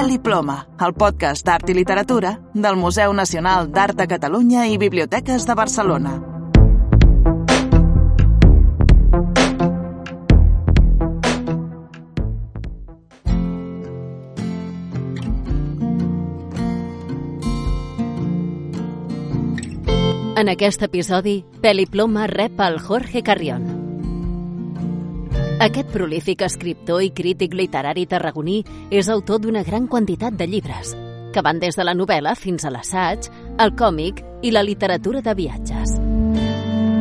Pèl i Ploma, el podcast d'art i literatura del Museu Nacional d'Art de Catalunya i Biblioteques de Barcelona. En aquest episodi, Pèl i Ploma rep el Jorge Carrión. Aquest prolífic escriptor i crític literari tarragoní és autor d'una gran quantitat de llibres, que van des de la novel·la fins a l'assaig, el còmic i la literatura de viatges.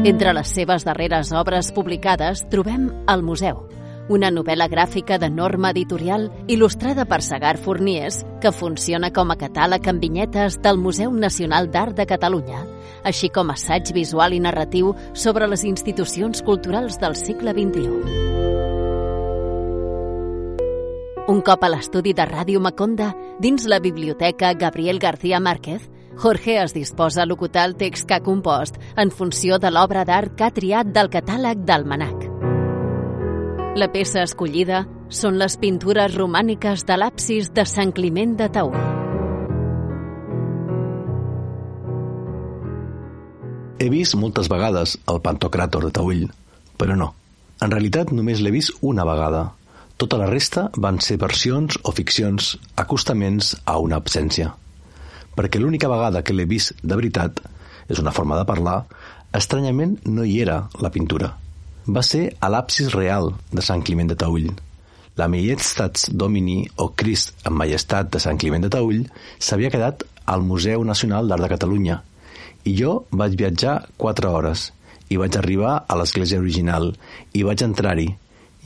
Entre les seves darreres obres publicades trobem El Museu, una novel·la gràfica de norma editorial il·lustrada per Segar Forniers, que funciona com a catàleg amb vinyetes del Museu Nacional d'Art de Catalunya, així com assaig visual i narratiu sobre les institucions culturals del segle XXI. Un cop a l'estudi de Ràdio Maconda, dins la biblioteca Gabriel García Márquez, Jorge es disposa a locutar el text que ha compost en funció de l'obra d'art que ha triat del catàleg d'Almanac. La peça escollida són les pintures romàniques de l'absis de Sant Climent de Taüll. He vist moltes vegades el Pantocràtor de Taüll, però no. En realitat només l'he vist una vegada. Tota la resta van ser versions o ficcions, acostaments a una absència. Perquè l'única vegada que l'he vist de veritat, és una forma de parlar, estranyament no hi era la pintura. Va ser a l'absis real de Sant Climent de Taüll. La Majestats Domini o Crist en Majestat de Sant Climent de Taüll s'havia quedat al Museu Nacional d'Art de Catalunya i jo vaig viatjar 4 hores i vaig arribar a l'església original i vaig entrar-hi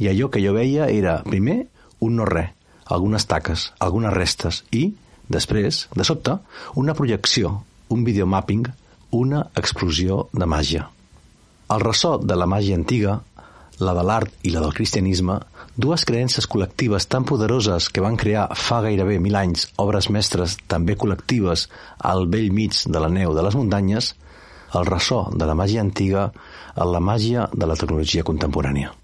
i allò que jo veia era, primer, un no-res, algunes taques, algunes restes i, després, de sobte, una projecció, un videomapping, una explosió de màgia. El ressò de la màgia antiga, la de l'art i la del cristianisme, dues creences col·lectives tan poderoses que van crear fa gairebé 1000 anys obres mestres també col·lectives al bell mig de la neu de les muntanyes, el ressò de la màgia antiga a la màgia de la tecnologia contemporània.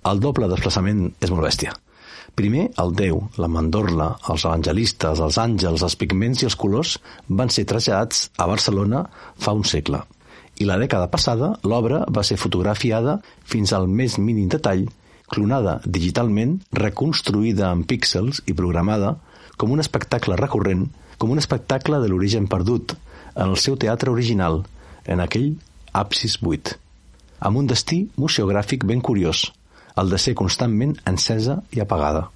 El doble desplaçament és molt bèstia. Primer, el Déu, la mandorla, els evangelistes, els àngels, els pigments i els colors van ser traslladats a Barcelona fa un segle. I la dècada passada, l'obra va ser fotografiada fins al més mínim detall, clonada digitalment, reconstruïda en píxels i programada com un espectacle recurrent, com un espectacle de l'origen perdut, en el seu teatre original, en aquell absis buit, amb un destí museogràfic ben curiós, el de ser constantment encesa i apagada.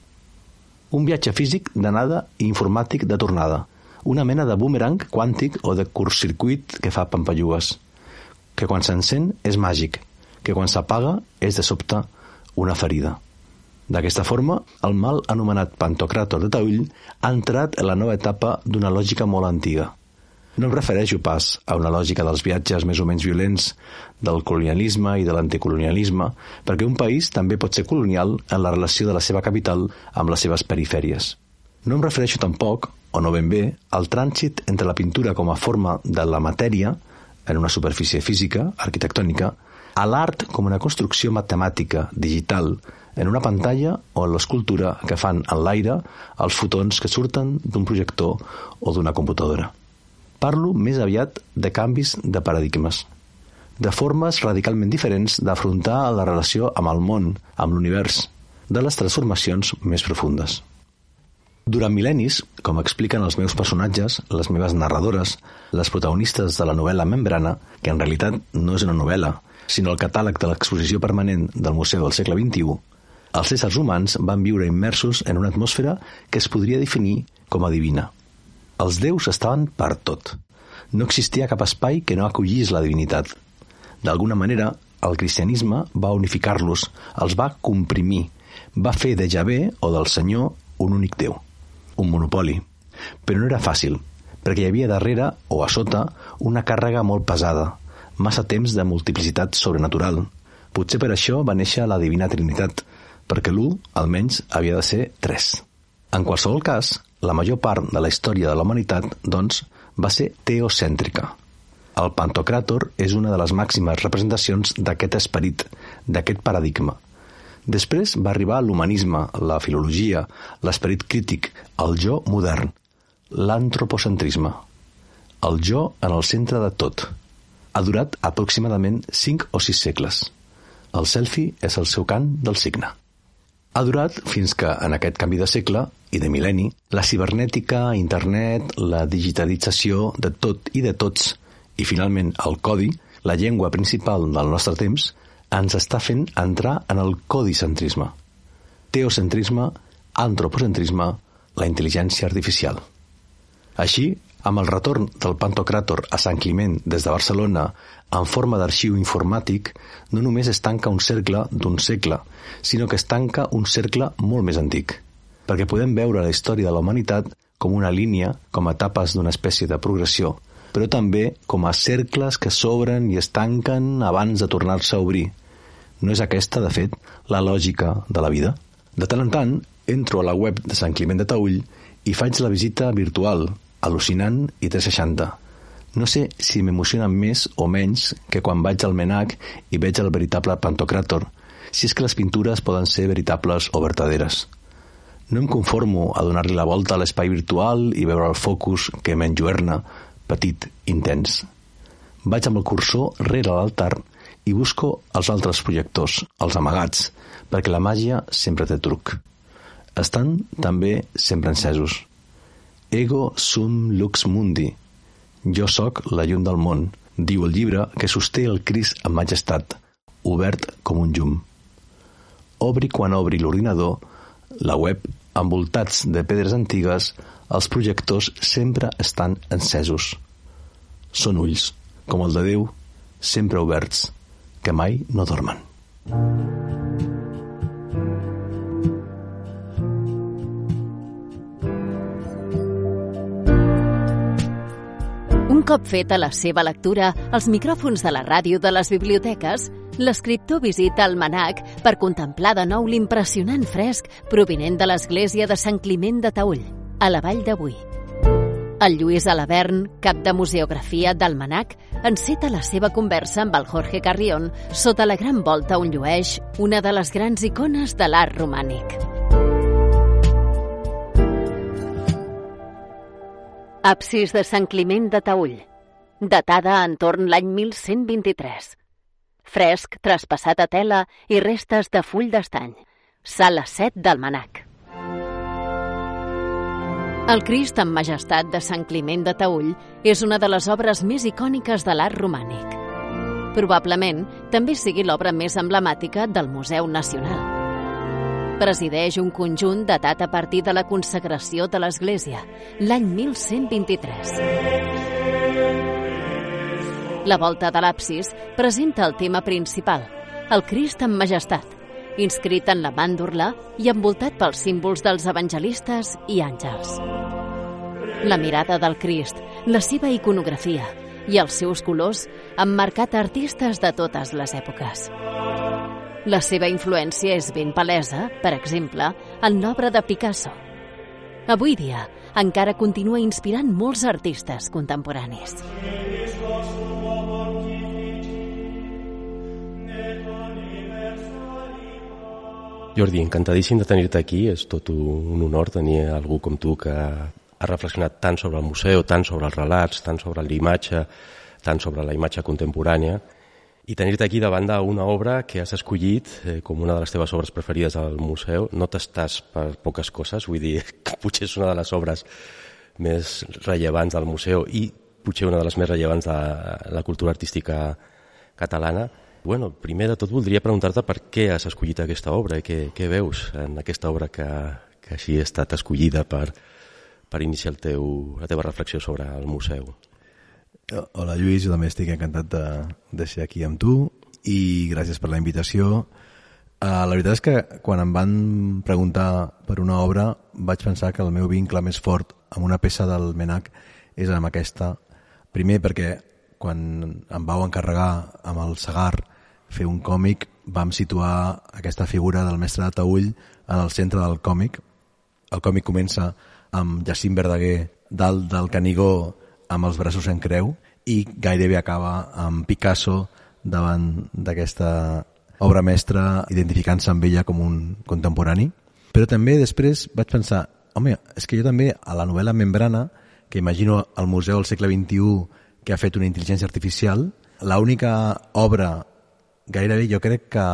Un viatge físic d'anada i informàtic de tornada, una mena de boomerang quàntic o de curtcircuit que fa pampallugues, que quan s'encén és màgic, que quan s'apaga és de sobte una ferida. D'aquesta forma, el mal anomenat Pantocràtor de Taüll ha entrat en la nova etapa d'una lògica molt antiga. No em refereixo pas a una lògica dels viatges més o menys violents, del colonialisme i de l'anticolonialisme, perquè un país també pot ser colonial en la relació de la seva capital amb les seves perifèries. No em refereixo tampoc, o no ben bé, al trànsit entre la pintura com a forma de la matèria, en una superfície física, arquitectònica, a l'art com una construcció matemàtica, digital, en una pantalla o en l'escultura que fan en l'aire els fotons que surten d'un projector o d'una computadora. Parlo més aviat de canvis de paradigmes, de formes radicalment diferents d'afrontar la relació amb el món, amb l'univers, de les transformacions més profundes. Durant mil·lennis, com expliquen els meus personatges, les meves narradores, les protagonistes de la novel·la Membrana, que en realitat no és una novel·la, sinó el catàleg de l'exposició permanent del Museu del segle XXI, els éssers humans van viure immersos en una atmosfera que es podria definir com a divina. Els déus estaven per tot. No existia cap espai que no acollís la divinitat. D'alguna manera, el cristianisme va unificar-los, els va comprimir, va fer de Javé o del Senyor un únic déu, un monopoli. Però no era fàcil, perquè hi havia darrere o a sota una càrrega molt pesada, massa temps de multiplicitat sobrenatural. Potser per això va néixer la Divina Trinitat, perquè l'1, almenys, havia de ser 3. En qualsevol cas, la major part de la història de la humanitat, doncs, va ser teocèntrica. El Pantocràtor és una de les màximes representacions d'aquest esperit, d'aquest paradigma. Després va arribar l'humanisme, la filologia, l'esperit crític, el jo modern, l'antropocentrisme. El jo en el centre de tot. Ha durat aproximadament 5 o 6 segles. El selfie és el seu cant del cigne. Ha durat fins que, en aquest canvi de segle i de mil·lenni, la cibernètica, internet, la digitalització de tot i de tots, i finalment el codi, la llengua principal del nostre temps, ens està fent entrar en el codicentrisme. Teocentrisme, antropocentrisme, la intel·ligència artificial. Així, amb el retorn del Pantocràtor a Sant Climent des de Barcelona en forma d'arxiu informàtic, no només es tanca un cercle d'un segle, sinó que es tanca un cercle molt més antic, perquè podem veure la història de la humanitat com una línia, com a etapes d'una espècie de progressió, però també com a cercles que s'obren i es tanquen abans de tornar-se a obrir. No és aquesta, de fet, la lògica de la vida? De tant en tant, entro a la web de Sant Climent de Taüll i faig la visita virtual, al·lucinant i 360. No sé si m'emociona més o menys que quan vaig al MNAC i veig el veritable Pantocràtor, si és que les pintures poden ser veritables o vertaderes. No em conformo a donar-li la volta a l'espai virtual i veure el focus que m'enlluerna, petit, intens. Vaig amb el cursor rere l'altar i busco els altres projectors, els amagats, perquè la màgia sempre té truc. Estan també sempre encesos. Ego sum lux mundi. Jo sóc la llum del món, diu el llibre que sosté el Crist en majestat, obert com un llum. Obri quan obri l'ordinador, la web, envoltats de pedres antigues, els projectors sempre estan encesos. Són ulls, com el de Déu, sempre oberts, que mai no dormen. Un cop feta la seva lectura als micròfons de la ràdio de les biblioteques, l'escriptor visita el MNAC per contemplar de nou l'impressionant fresc provinent de l'església de Sant Climent de Taüll, a la Vall de Boí. El Lluís Alabern, cap de museografia del MNAC, enceta la seva conversa amb el Jorge Carrión sota la gran volta on llueix una de les grans icones de l'art romànic. Absis de Sant Climent de Taüll, datada entorn l'any 1123. Fresc traspassat a tela i restes de full d'estany. Sala 7 del MNAC. El Crist en majestat de Sant Climent de Taüll és una de les obres més icòniques de l'art romànic. Probablement també sigui l'obra més emblemàtica del Museu Nacional. Presideix un conjunt datat a partir de la consagració de l'Església, l'any 1123. La volta de l'absis presenta el tema principal, el Crist en majestat, inscrit en la màndorla i envoltat pels símbols dels evangelistes i àngels. La mirada del Crist, la seva iconografia i els seus colors han marcat artistes de totes les èpoques. La seva influència és ben palesa, per exemple, en l'obra de Picasso. Avui dia, encara continua inspirant molts artistes contemporanis. Jordi, encantadíssim de tenir-te aquí. És tot un honor tenir algú com tu que ha reflexionat tant sobre el museu, tant sobre els relats, tant sobre l'imatge, tant sobre la imatge contemporània. I tenir-te aquí davant d'una obra que has escollit com una de les teves obres preferides al museu. No t'estàs per poques coses, vull dir que potser és una de les obres més rellevants del museu i potser una de les més rellevants de la cultura artística catalana. Bueno, primer de tot voldria preguntar-te per què has escollit aquesta obra i què veus en aquesta obra que així ha estat escollida per iniciar la teva reflexió sobre el museu. Hola Lluís, jo també estic encantat de ser aquí amb tu i gràcies per la invitació. La veritat és que quan em van preguntar per una obra vaig pensar que el meu vincle més fort amb una peça del MNAC és amb aquesta. Primer perquè quan em vau encarregar amb el Segar fer un còmic vam situar aquesta figura del mestre de Taüll en el centre del còmic. El còmic comença amb Jacint Verdaguer dalt del Canigó amb els braços en creu i gairebé acaba amb Picasso davant d'aquesta obra mestra, identificant-se amb ella com un contemporani. Però també després vaig pensar, home, és que jo també a la novel·la Membrana, que imagino el Museu del segle XXI que ha fet una intel·ligència artificial, l'única obra gairebé jo crec que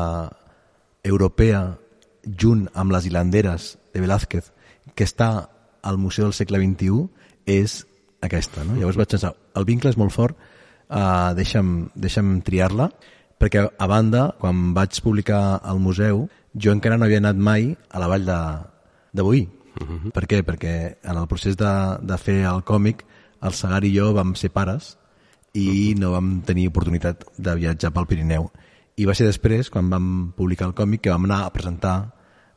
europea, junt amb les hilanderes de Velázquez, que està al Museu del segle XXI, és aquesta. No? Llavors vaig pensar, el vincle és molt fort, deixa'm triar-la, perquè a banda, quan vaig publicar al museu, jo encara no havia anat mai a la vall de Boí. Per què? Perquè en el procés de fer el còmic, el Segar i jo vam ser pares i no vam tenir oportunitat de viatjar pel Pirineu. I va ser després, quan vam publicar el còmic, que vam anar a presentar,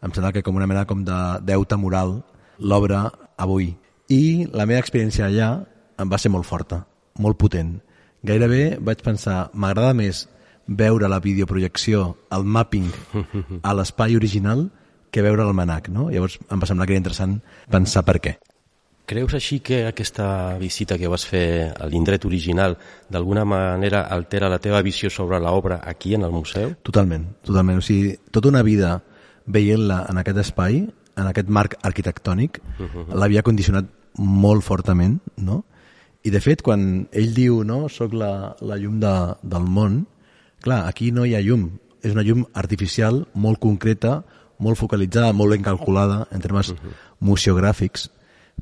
em sembla que com una mena com de deute moral, l'obra a Boí. I la meva experiència allà em va ser molt forta, molt potent. Gairebé vaig pensar, m'agrada més veure la videoprojecció, el mapping a l'espai original que veure l'almanac, no? Llavors em va semblar que era interessant pensar per què. Creus així que aquesta visita que vas fer a l'indret original d'alguna manera altera la teva visió sobre l'obra aquí en el museu? Totalment, totalment. O sigui, tota una vida veient-la en aquest espai, en aquest marc arquitectònic, l'havia condicionat molt fortament, no? I de fet, quan ell diu, no, soc la llum del món, clar, aquí no hi ha llum. És una llum artificial, molt concreta, molt focalitzada, molt ben calculada en termes museogràfics,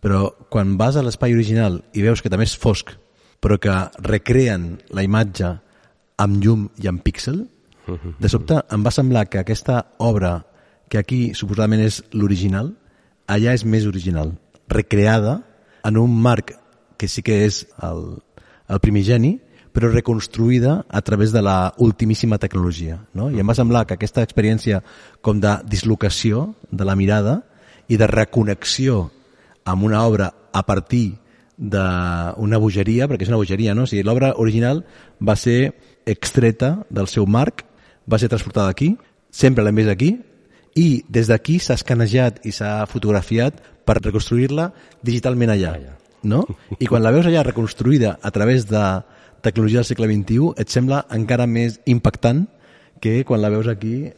però quan vas a l'espai original i veus que també és fosc, però que recreen la imatge amb llum i amb píxel, de sobte em va semblar que aquesta obra, que aquí suposadament és l'original, allà és més original, recreada en un marc que sí que és el primigeni, però reconstruïda a través de la ultimíssima tecnologia. No? I em va semblar que aquesta experiència com de dislocació de la mirada i de reconnexió amb una obra a partir d'una bogeria, perquè és una bogeria, no? O sigui, l'obra original va ser extreta del seu marc, va ser transportada aquí, sempre l'hem vist aquí, i des d'aquí s'ha escanejat i s'ha fotografiat per reconstruir-la digitalment allà. No? I quan la veus allà reconstruïda a través de tecnologia del segle XXI, et sembla encara més impactant que quan la veus aquí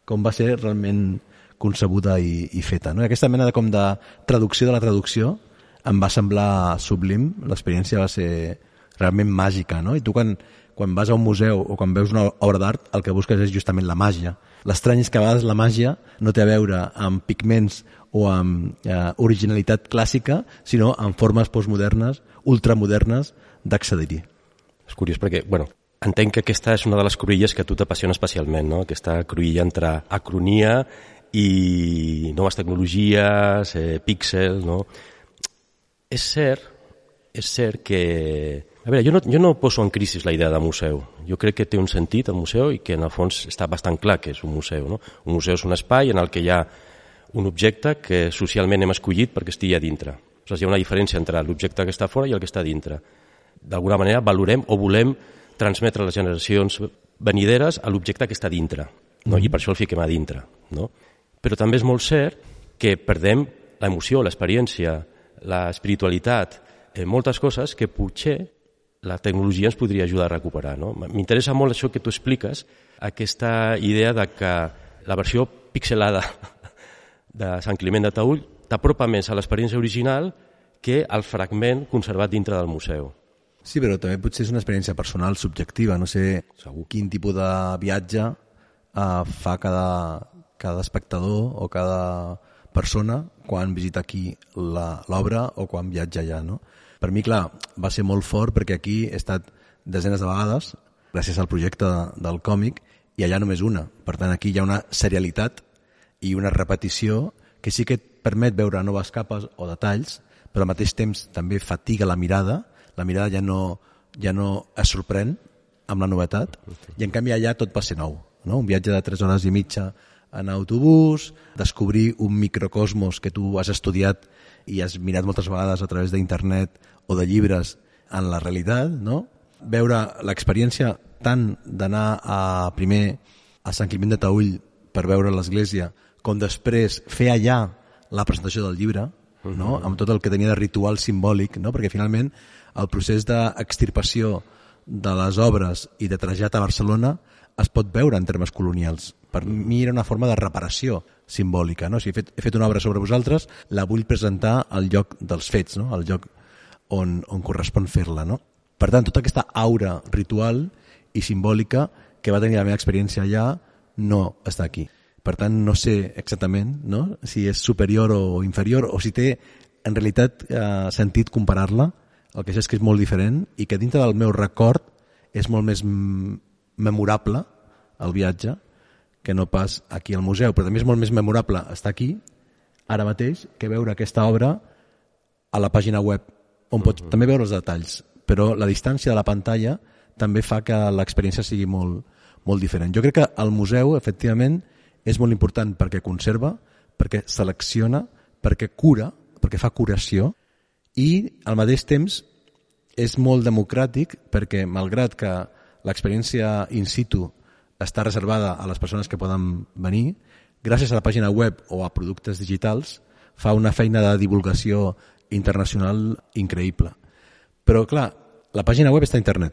com va ser realment concebuda i feta. No? I aquesta mena de traducció de la traducció em va semblar sublim, l'experiència va ser realment màgica. No? I tu quan vas a un museu o quan veus una obra d'art, el que busques és justament la màgia. L'estrany és que a vegades la màgia no té a veure amb pigments o amb originalitat clàssica, sinó amb formes postmodernes, ultramodernes d'accedir-hi. És curiós perquè, entenc que aquesta és una de les cruïlles que a tu t'apassiona especialment, no? Aquesta cruïlla entre acronia i noves tecnologies, píxels, no? És cert que... A veure, jo no poso en crisi la idea de museu. Jo crec que té un sentit el museu i que en el fons està bastant clar que és un museu. No? Un museu és un espai en el que hi ha un objecte que socialment hem escollit perquè estigui a dintre. O sigui, hi ha una diferència entre l'objecte que està fora i el que està a dintre. D'alguna manera valorem o volem transmetre a les generacions venideres a l'objecte que està a dintre. No? I per això el fiquem a dintre. No? Però també és molt cert que perdem l'emoció, l'experiència, l'espiritualitat, moltes coses que potser la tecnologia ens podria ajudar a recuperar. No? M'interessa molt això que tu expliques, aquesta idea de que la versió pixelada de Sant Climent de Taüll t'apropa més a l'experiència original que al fragment conservat dintre del museu. Sí, però també potser és una experiència personal, subjectiva. No sé quin tipus de viatge fa cada espectador o cada persona quan visita aquí l'obra o quan viatja allà, no? Per mi, clar, va ser molt fort perquè aquí he estat desenes de vegades gràcies al projecte del còmic i allà només una. Per tant, aquí hi ha una serialitat i una repetició que sí que et permet veure noves capes o detalls, però al mateix temps també fatiga la mirada ja no es sorprèn amb la novetat i en canvi allà tot va ser nou. No? Un viatge de 3 hores i mitja en autobús, descobrir un microcosmos que tu has estudiat i has mirat moltes vegades a través d'internet o de llibres en la realitat, no? Veure l'experiència tant d'anar primer a Sant Climent de Taüll per veure l'església, com després fer allà la presentació del llibre, no? Amb tot el que tenia de ritual simbòlic, no? Perquè finalment el procés d'extirpació de les obres i de trasllat a Barcelona es pot veure en termes colonials. Per mi era una forma de reparació simbòlica, no? Si he fet una obra sobre vosaltres, la vull presentar al lloc dels fets, no? Al lloc on correspon fer-la, no? Per tant, tota aquesta aura ritual i simbòlica que va tenir la meva experiència allà no està aquí. Per tant, no sé exactament, no? Si és superior o inferior, o si té en realitat sentit comparar-la. El que sé és que és molt diferent i que dintre del meu record és molt més memorable el viatge que no pas aquí al museu, però també és molt més memorable estar aquí ara mateix que veure aquesta obra a la pàgina web, on pots també veure els detalls, però la distància de la pantalla també fa que l'experiència sigui molt, molt diferent. Jo crec que el museu, efectivament, és molt important perquè conserva, perquè selecciona, perquè cura, perquè fa curació, i al mateix temps és molt democràtic perquè, malgrat que l'experiència in situ està reservada a les persones que poden venir, gràcies a la pàgina web o a productes digitals, fa una feina de divulgació internacional increïble. Però, clar, la pàgina web està a internet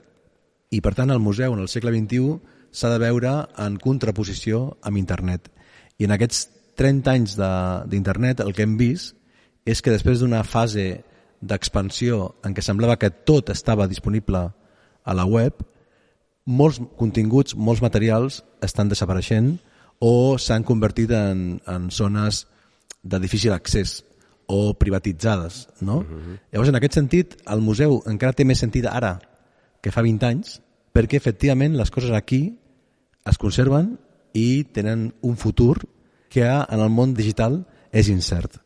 i, per tant, el museu en el segle XXI s'ha de veure en contraposició amb internet. I en aquests 30 anys d'internet el que hem vist és que després d'una fase d'expansió en què semblava que tot estava disponible a la web, molts continguts, molts materials estan desapareixent o s'han convertit en zones de difícil accés o privatitzades, no? Llavors, en aquest sentit, el museu encara té més sentit ara que fa 20 anys, perquè efectivament les coses aquí es conserven i tenen un futur que en el món digital és incert.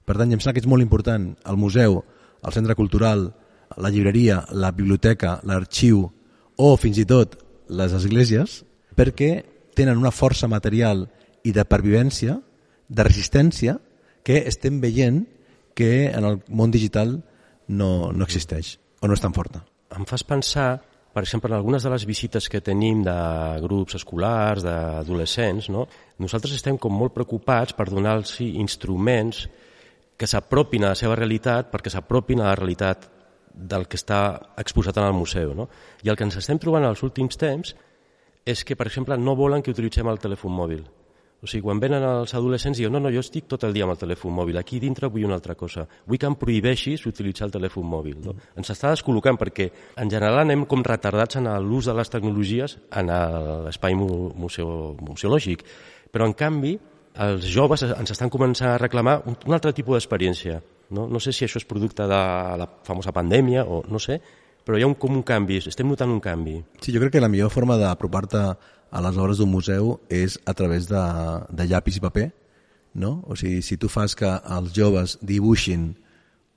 Per tant, em sembla que és molt important el museu, el centre cultural, la llibreria, la biblioteca, l'arxiu o fins i tot les esglésies, perquè tenen una força material i de pervivència, de resistència, que estem veient que en el món digital no existeix o no és tan forta. Em fas pensar, per exemple, en algunes de les visites que tenim de grups escolars, d'adolescents, no? Nosaltres estem com molt preocupats per donar-los instruments que s'apropin a la seva realitat perquè s'apropin a la realitat del que està exposat en el museu, no? I el que ens estem trobant als últims temps és que, per exemple, no volen que utilitzem el telèfon mòbil. O sigui, quan venen els adolescents diuen no, jo estic tot el dia amb el telèfon mòbil, aquí dintre vull una altra cosa, vull que em prohibeixis utilitzar el telèfon mòbil. No? Ens està descol·locant perquè en general anem com retardats en l'ús de les tecnologies en l'espai museològic, però en canvi els joves ens estan començant a reclamar un altre tipus d'experiència. No sé si això és producte de la famosa pandèmia o no sé, però hi ha com un canvi, estem notant un canvi. Sí, jo crec que la millor forma d'apropar-te a les obres d'un museu és a través de llapis i paper, no? O sigui, si tu fas que els joves dibuixin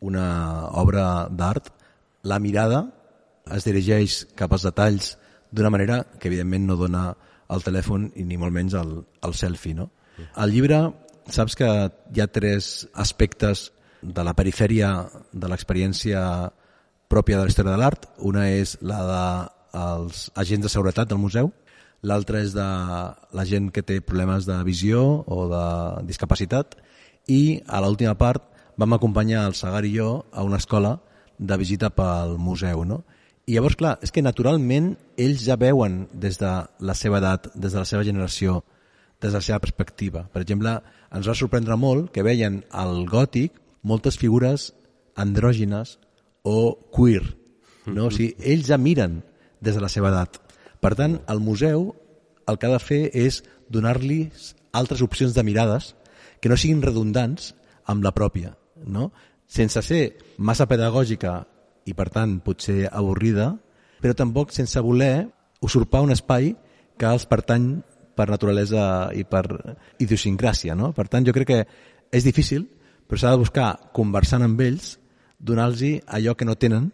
una obra d'art, la mirada es dirigeix cap als detalls d'una manera que evidentment no dona el telèfon i ni molt menys el selfie, no? Al llibre saps que hi ha 3 aspectes de la perifèria de l'experiència pròpia de la història de l'art. Una és la dels agents de seguretat del museu, l'altra és de la gent que té problemes de visió o de discapacitat, i a l'última part vam acompanyar el Sagar i jo a una escola de visita pel museu, no? I llavors, clar, és que naturalment ells ja veuen des de la seva edat, des de la seva generació, des de la seva perspectiva. Per exemple, ens va sorprendre molt que veien al gòtic moltes figures andrògines o queer, no? O sigui, ells ja miren des de la seva edat. Per tant, el museu el que ha de fer és donar-los altres opcions de mirades que no siguin redundants amb la pròpia, no? Sense ser massa pedagògica i, per tant, potser avorrida, però tampoc sense voler usurpar un espai que els pertany per naturalesa i per idiosincràsia, no? Per tant, jo crec que és difícil, però s'ha de buscar, conversant amb ells, donar-los allò que no tenen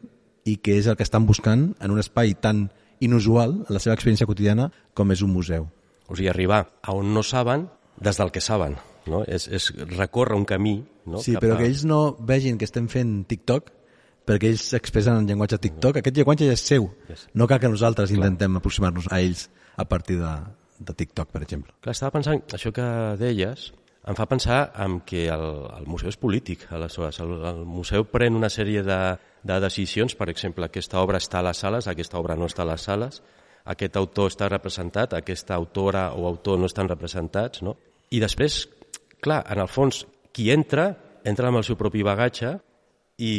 i que és el que estan buscant en un espai tan inusual en la seva experiència quotidiana com és un museu. O sigui, arribar a on no saben des del que saben, no? És recórrer un camí, no? Sí, però que ells no vegin que estem fent TikTok, perquè ells s'expressen en llenguatge TikTok. Aquest llenguatge és seu. No cal que nosaltres intentem aproximar-nos a ells a partir de TikTok, per exemple. Clar, estava pensant, això que deies, em fa pensar en que el museu és polític, aleshores. El museu pren una sèrie de decisions, per exemple, aquesta obra està a les sales, aquesta obra no està a les sales, aquest autor està representat, aquesta autora o autor no estan representats, no? I després, clar, en el fons, qui entra amb el seu propi bagatge i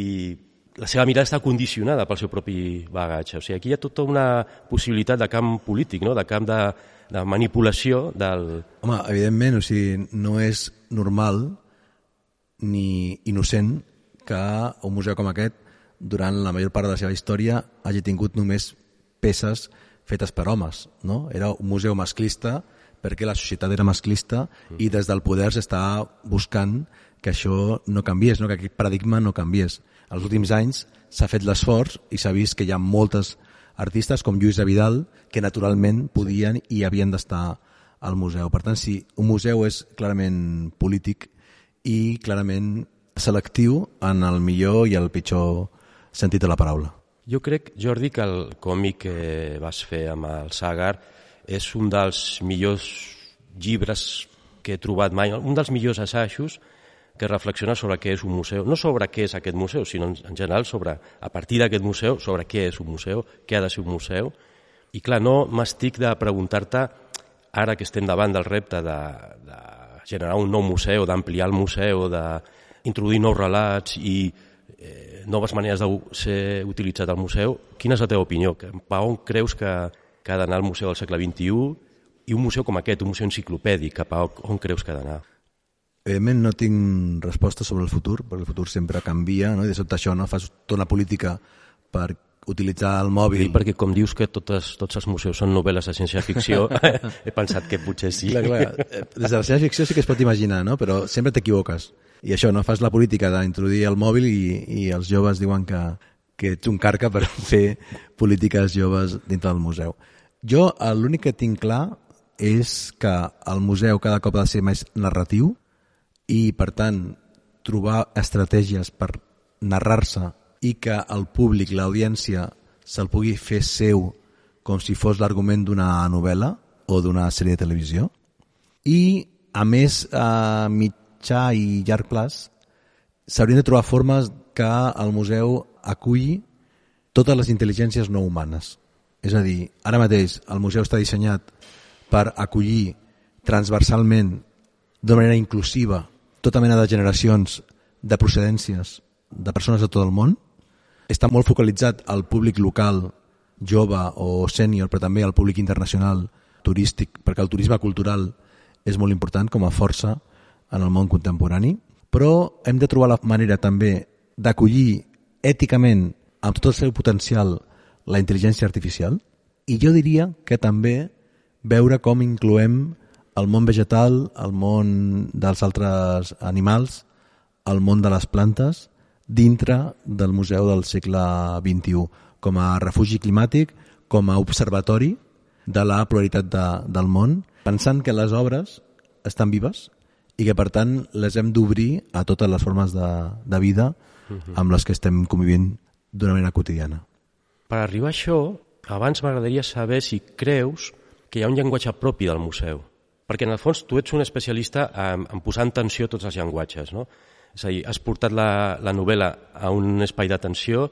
la seva mirada està condicionada pel seu propi bagatge. O sigui, aquí hi ha tota una possibilitat de camp polític, no? De camp de manipulació del... Home, evidentment, o sigui, no és normal ni innocent que un museu com aquest, durant la major part de la seva història, hagi tingut només peces fetes per homes, no? Era un museu masclista perquè la societat era masclista i des del poder s'està buscant que això no canviés, no? Que aquest paradigma no canviés. Els últims anys s'ha fet l'esforç i s'ha vist que hi ha moltes artistes com Lluís Vidal que naturalment podien i havien d'estar al museu. Per tant, sí, un museu és clarament polític i clarament selectiu en el millor i el pitjor sentit de la paraula. Jo crec, Jordi, que el còmic que vas fer amb el Sàgar és un dels millors llibres que he trobat mai, un dels millors assajos que reflexiona sobre què és un museu. No sobre què és aquest museu, sinó en general sobre, a partir d'aquest museu, sobre què és un museu, què ha de ser un museu. I clar, no m'estic de preguntar-te, ara que estem davant del repte de generar un nou museu, d'ampliar el museu, d'introduir nous relats i noves maneres de ser utilitzat al museu, quina és la teva opinió? Per on creus que ha d'anar el museu del segle XXI i un museu com aquest, un museu enciclopèdic, cap a on creus que ha d'anar? Evidentment no tinc resposta sobre el futur, perquè el futur sempre canvia, no? I de sobte això, no? Fas tota una política per utilitzar el mòbil... I perquè com dius que tots els museus són novel·les de ciència-ficció, he pensat que potser sí. Clar. Des de la ciència-ficció sí que es pot imaginar, no? Però sempre t'equivoques. I això, no? Fas la política d'introduir el mòbil i els joves diuen que ets un carca per fer polítiques joves dintre del museu. Jo l'únic que tinc clar és que el museu cada cop ha de ser més narratiu i, per tant, trobar estratègies per narrar-se i que el públic, l'audiència, se'l pugui fer seu com si fos l'argument d'una novel·la o d'una sèrie de televisió. I, a més, a mitjà i llarg plaç, s'haurien de trobar formes que el museu aculli totes les intel·ligències no humanes. És a dir, ara mateix el museu està dissenyat per acollir transversalment, d'una manera inclusiva, tota mena de generacions, de procedències, de persones de tot el món. Està molt focalitzat al públic local, jove o sènior, però també al públic internacional, turístic, perquè el turisme cultural és molt important com a força en el món contemporani. Però hem de trobar la manera també d'acollir èticament, amb tot el seu potencial, la intel·ligència artificial. I jo diria que també veure com incloem el món vegetal, el món dels altres animals, el món de les plantes, dintre del Museu del segle XXI, com a refugi climàtic, com a observatori de la pluralitat del món, pensant que les obres estan vives i que, per tant, les hem d'obrir a totes les formes de vida amb les que estem convivint d'una manera quotidiana. Per arribar a això, abans m'agradaria saber si creus que hi ha un llenguatge propi del museu. Perquè, en el fons, tu ets un especialista en posar en tensió tots els llenguatges, no? És a dir, has portat la novel·la a un espai d'atenció,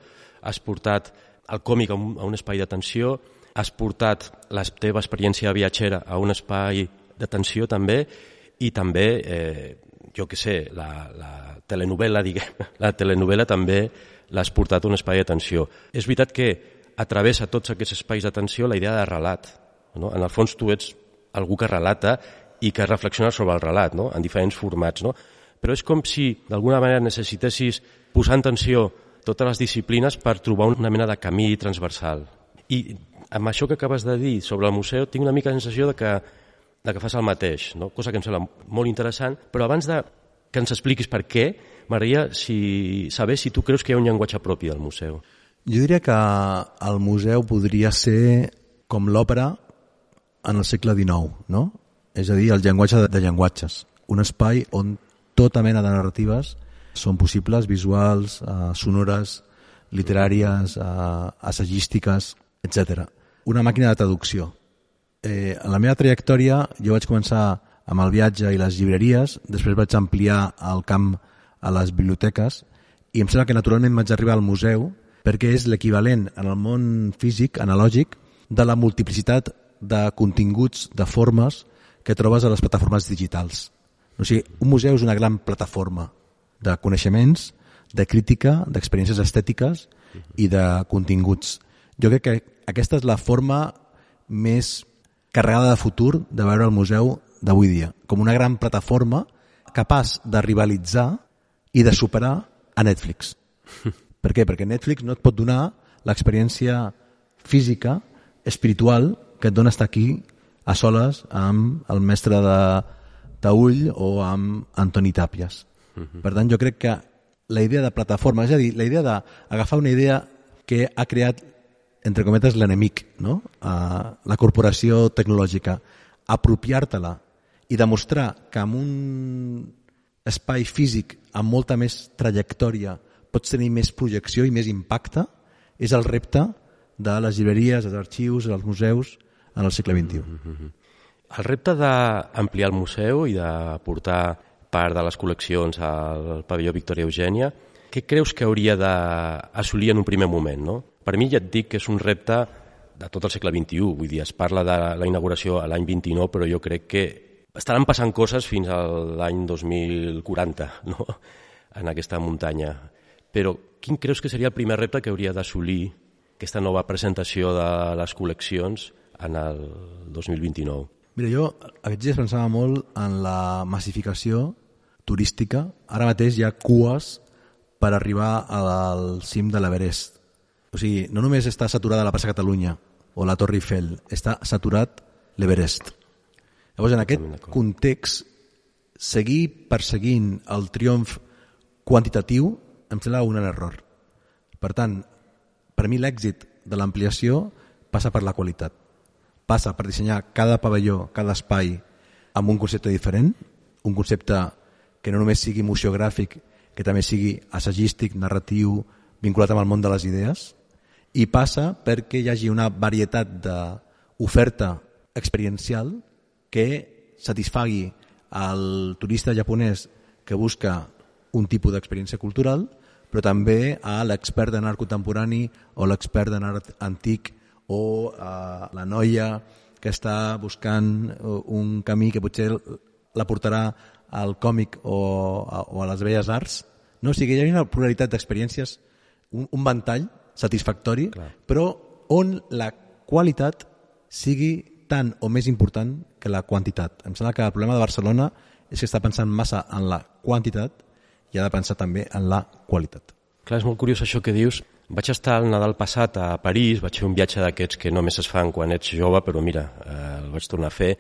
has portat el còmic a un espai d'atenció, has portat la teva experiència viatgera a un espai d'atenció també, i també, jo què sé, la telenovel·la també l'has portat a un espai d'atenció. És veritat que a través de tots aquests espais d'atenció la idea de relat, no? En el fons tu ets algú que relata i que reflexiona sobre el relat, no? En diferents formats, no? Però és com si d'alguna manera necessitessis posar en tensió totes les disciplines per trobar una mena de camí transversal. I amb això que acabes de dir sobre el museu tinc una mica la sensació de que fas el mateix, no? Cosa que em sembla molt interessant, però abans que ens expliquis per què, m'agradaria saber si tu creus que hi ha un llenguatge propi del museu. Jo diria que el museu podria ser com l'òpera en el segle XIX, no? És a dir, el llenguatge de llenguatges. Un espai on tota mena de narratives són possibles, visuals, sonores, literàries, assagístiques, etc. Una màquina de traducció. En la meva trajectòria jo vaig començar amb el viatge i les llibreries, després vaig ampliar el camp a les biblioteques i em sembla que naturalment vaig arribar al museu perquè és l'equivalent en el món físic, analògic, de la multiplicitat de continguts, de formes que trobes a les plataformes digitals. O sigui, un museu és una gran plataforma de coneixements, de crítica, d'experiències estètiques i de continguts. Jo crec que aquesta és la forma més carregada de futur de veure el museu d'avui dia, com una gran plataforma capaç de rivalitzar i de superar a Netflix. Per què? Perquè Netflix no et pot donar l'experiència física, espiritual, que et dona estar aquí a soles amb el mestre de Taüll o amb Antoni Tàpies. Per tant, jo crec que la idea de plataforma, és a dir, la idea d'agafar una idea que ha creat, entre cometes, l'enemic, no? La corporació tecnològica, apropiar-te-la i demostrar que en un espai físic amb molta més trajectòria pots tenir més projecció i més impacte, és el repte de les llibreries, dels arxius, dels museus en el segle XXI. El repte d'ampliar el museu i de portar part de les col·leccions al pavelló Victòria Eugènia, què creus que hauria d'assolir en un primer moment? No? Per mi ja et dic que és un repte de tot el segle XXI, vull dir, es parla de la inauguració a l'any 29, però jo crec que estaran passant coses fins a l'any 2040, no? En aquesta muntanya. Però quin creus que seria el primer repte que hauria d'assolir aquesta nova presentació de les col·leccions en el 2029? Mira, jo aquests dies pensava molt en la massificació turística. Ara mateix hi ha cues per arribar al cim de l'Everest. O sigui, no només està saturada la plaça Catalunya o la Torre Eiffel, està saturat l'Everest. Llavors, en aquest context, seguir perseguint el triomf quantitatiu em sembla un error. Per tant, per mi l'èxit de l'ampliació passa per la qualitat. Passa per dissenyar cada pavelló, cada espai amb un concepte diferent, un concepte que no només sigui museogràfic, que també sigui assagístic, narratiu, vinculat amb el món de les idees, i passa perquè hi hagi una varietat d'oferta experiencial que satisfagui al turista japonès que busca un tipus d'experiència cultural, però també a l'expert en art contemporani o l'expert en art antic o a la noia que està buscant un camí que potser la portarà al còmic o a les belles arts. No? O sigui, hi ha una pluralitat d'experiències, un ventall satisfactori, clar, però on la qualitat sigui tant o més important que la quantitat. Em sembla que el problema de Barcelona és que està pensant massa en la quantitat i ha de pensar també en la qualitat. Clar, és molt curiós això que dius. Vaig estar el Nadal passat a París, vaig fer un viatge d'aquests que només es fan quan ets jove, però mira, el vaig tornar a fer.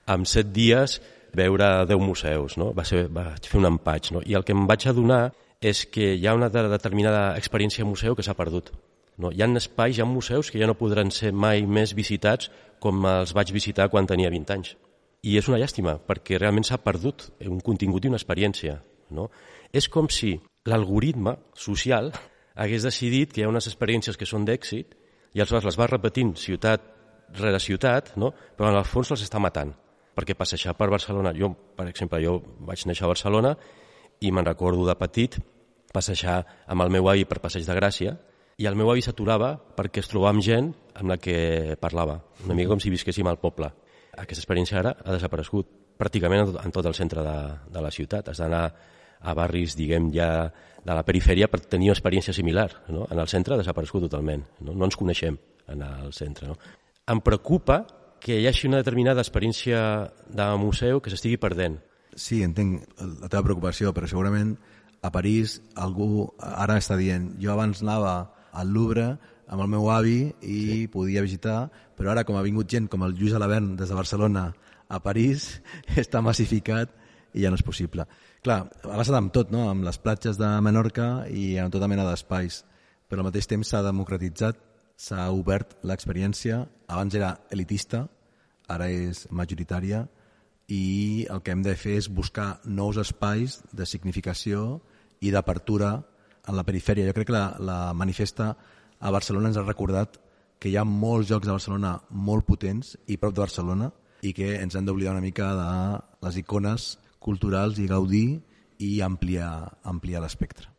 En 7 dies veure 10 museus, no? Vaig fer un empatx, no? I el que em vaig adonar és que hi ha una determinada experiència museu que s'ha perdut. No? Hi ha espais, hi ha museus que ja no podran ser mai més visitats com els vaig visitar quan tenia 20 anys. I és una llàstima, perquè realment s'ha perdut un contingut i una experiència. No? És com si l'algoritme social hagués decidit que hi ha unes experiències que són d'èxit i aleshores les va repetint ciutat rere ciutat, no? Però en el fons les està matant. Perquè passejar per Barcelona, jo, per exemple, jo vaig néixer a Barcelona i me'n recordo de petit passejar amb el meu avi per Passeig de Gràcia i el meu avi s'aturava perquè es trobava amb gent amb la que parlava, una mica com si visquéssim al poble. Aquesta experiència ara ha desaparegut pràcticament en tot el centre de la ciutat. Has d'anar a barris, diguem, ja de la perifèria per tenir una experiència similar. No? En el centre ha desaparegut totalment. No ens coneixem en el centre. No? Em preocupa que hi hagi una determinada experiència de museu que s'estigui perdent. Sí, entenc la teva preocupació, però segurament a París algú ara està dient jo abans anava al Louvre amb el meu avi i podia visitar, però ara com ha vingut gent com el Lluís Alabern des de Barcelona a París, està massificat i ja no és possible. Clar, ha passat amb tot, no? Amb les platges de Menorca i amb tota mena d'espais, però al mateix temps s'ha democratitzat, s'ha obert l'experiència, abans era elitista, ara és majoritària, i el que hem de fer és buscar nous espais de significació i d'apertura en la perifèria. Jo crec que la manifesta a Barcelona ens ha recordat que hi ha molts llocs a Barcelona molt potents i prop de Barcelona i que ens hem d'oblidar una mica de les icones culturals i gaudir i ampliar l'espectre.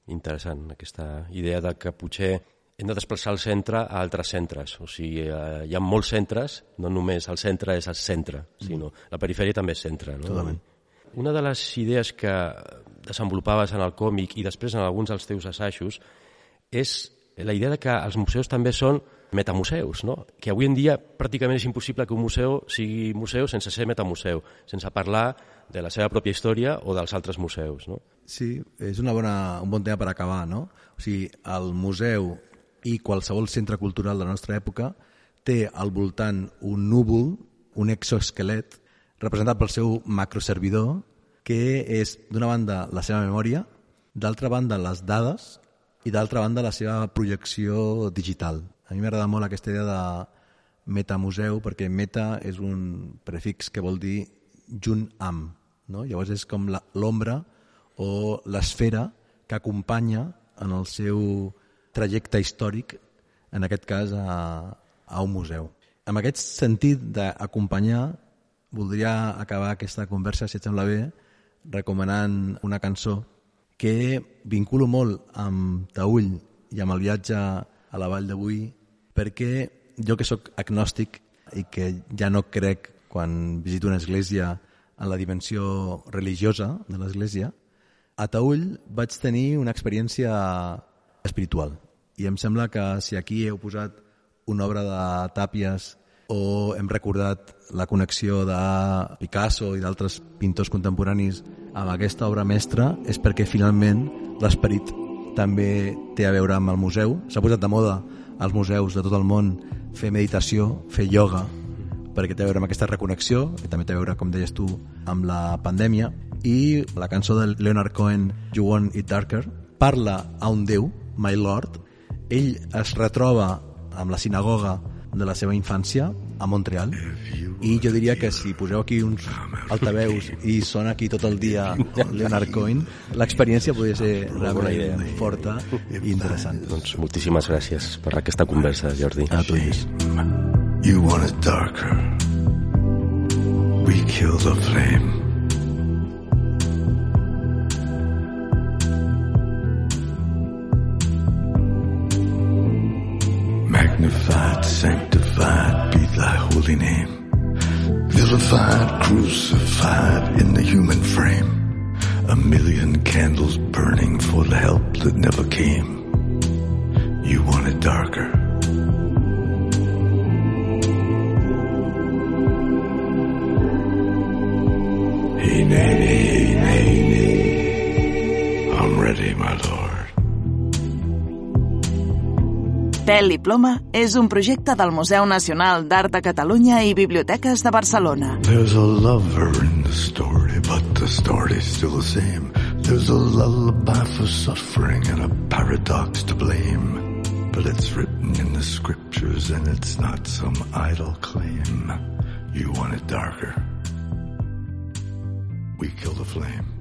Interessant, aquesta idea de que potser hem de desplaçar el centre a altres centres. O sigui, hi ha molts centres, no només el centre és el centre, sinó la perifèria també és centre. No? Totalment. Una de les idees que desenvolupaves en el còmic i després en alguns dels teus assajos és la idea de que els museus també són metamuseus, no? Que avui en dia pràcticament és impossible que un museu sigui museu sense ser metamuseu, sense parlar de la seva pròpia història o dels altres museus, no? Sí, és un bon tema per acabar, no? O sigui, el museu i qualsevol centre cultural de la nostra època té al voltant un núvol, un exoesquelet, representat pel seu macroservidor, que és, d'una banda, la seva memòria, d'altra banda, les dades, i d'altra banda la seva projecció digital. A mi m'agrada molt aquesta idea de metamuseu perquè meta és un prefix que vol dir junt amb, no? Llavors és com l'ombra o l'esfera que acompanya en el seu trajecte històric, en aquest cas a un museu. En aquest sentit d'acompanyar, voldria acabar aquesta conversa, si et sembla bé, recomanant una cançó que vinculo molt amb Taüll i amb el viatge a la Vall de Boí, perquè jo que sóc agnòstic i que ja no crec quan visito una església en la dimensió religiosa de l'església, a Taüll vaig tenir una experiència espiritual. I em sembla que si aquí heu posat una obra de Tàpies o hem recordat la connexió de Picasso i d'altres pintors contemporanis amb aquesta obra mestra, és perquè finalment l'esperit també té a veure amb el museu. S'ha posat de moda als museus de tot el món fer meditació, fer ioga, perquè té a veure amb aquesta reconnexió, que també té a veure, com deies tu, amb la pandèmia. I la cançó de Leonard Cohen, You Want It Darker, parla a un déu, My Lord. Ell es retroba amb la sinagoga de la seva infància a Montreal, i jo diria que si poseu aquí uns altaveus i sona aquí tot el dia Leonard Cohen, l'experiència podria ser realment forta i interessant. Doncs moltíssimes gràcies per aquesta conversa, Jordi. A tu, Lluís. You want it darker, we kill the flame. Magnified, sanctified be thy holy name. Vilified, crucified in the human frame. A million candles burning for the help that never came. You want it darker. Hey, nay, nay, nay, nay. I'm ready, my lord. Tel i Ploma és un projecte del Museu Nacional d'Art de Catalunya i Biblioteques de Barcelona. There's a lover in the story, but the story's still the same. There's a lullaby for suffering and a paradox to blame. But it's written in the scriptures and it's not some idle claim. You want it darker. We kill the flame.